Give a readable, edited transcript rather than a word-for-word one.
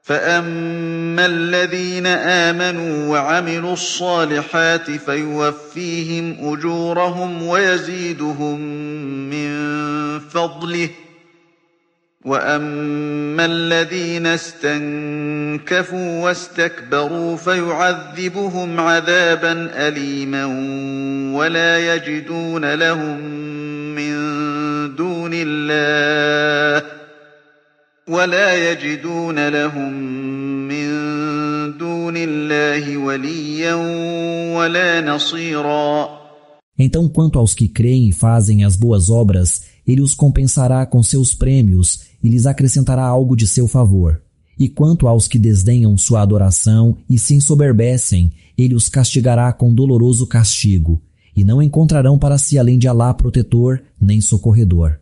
فأما الذين آمنوا وعملوا الصالحات فيوفيهم أجورهم ويزيدهم من فضله وأما الذين استنكفوا واستكبروا فيعذبهم عذابا أليما ولا يجدون لهم من دون الله وليا ولا نصيرا. Então, quanto aos que creem e fazem as boas obras, ele os compensará com seus prêmios e lhes acrescentará algo de seu favor. E quanto aos que desdenham sua adoração e se ensoberbecem, ele os castigará com doloroso castigo, e não encontrarão para si além de Alá protetor nem socorredor.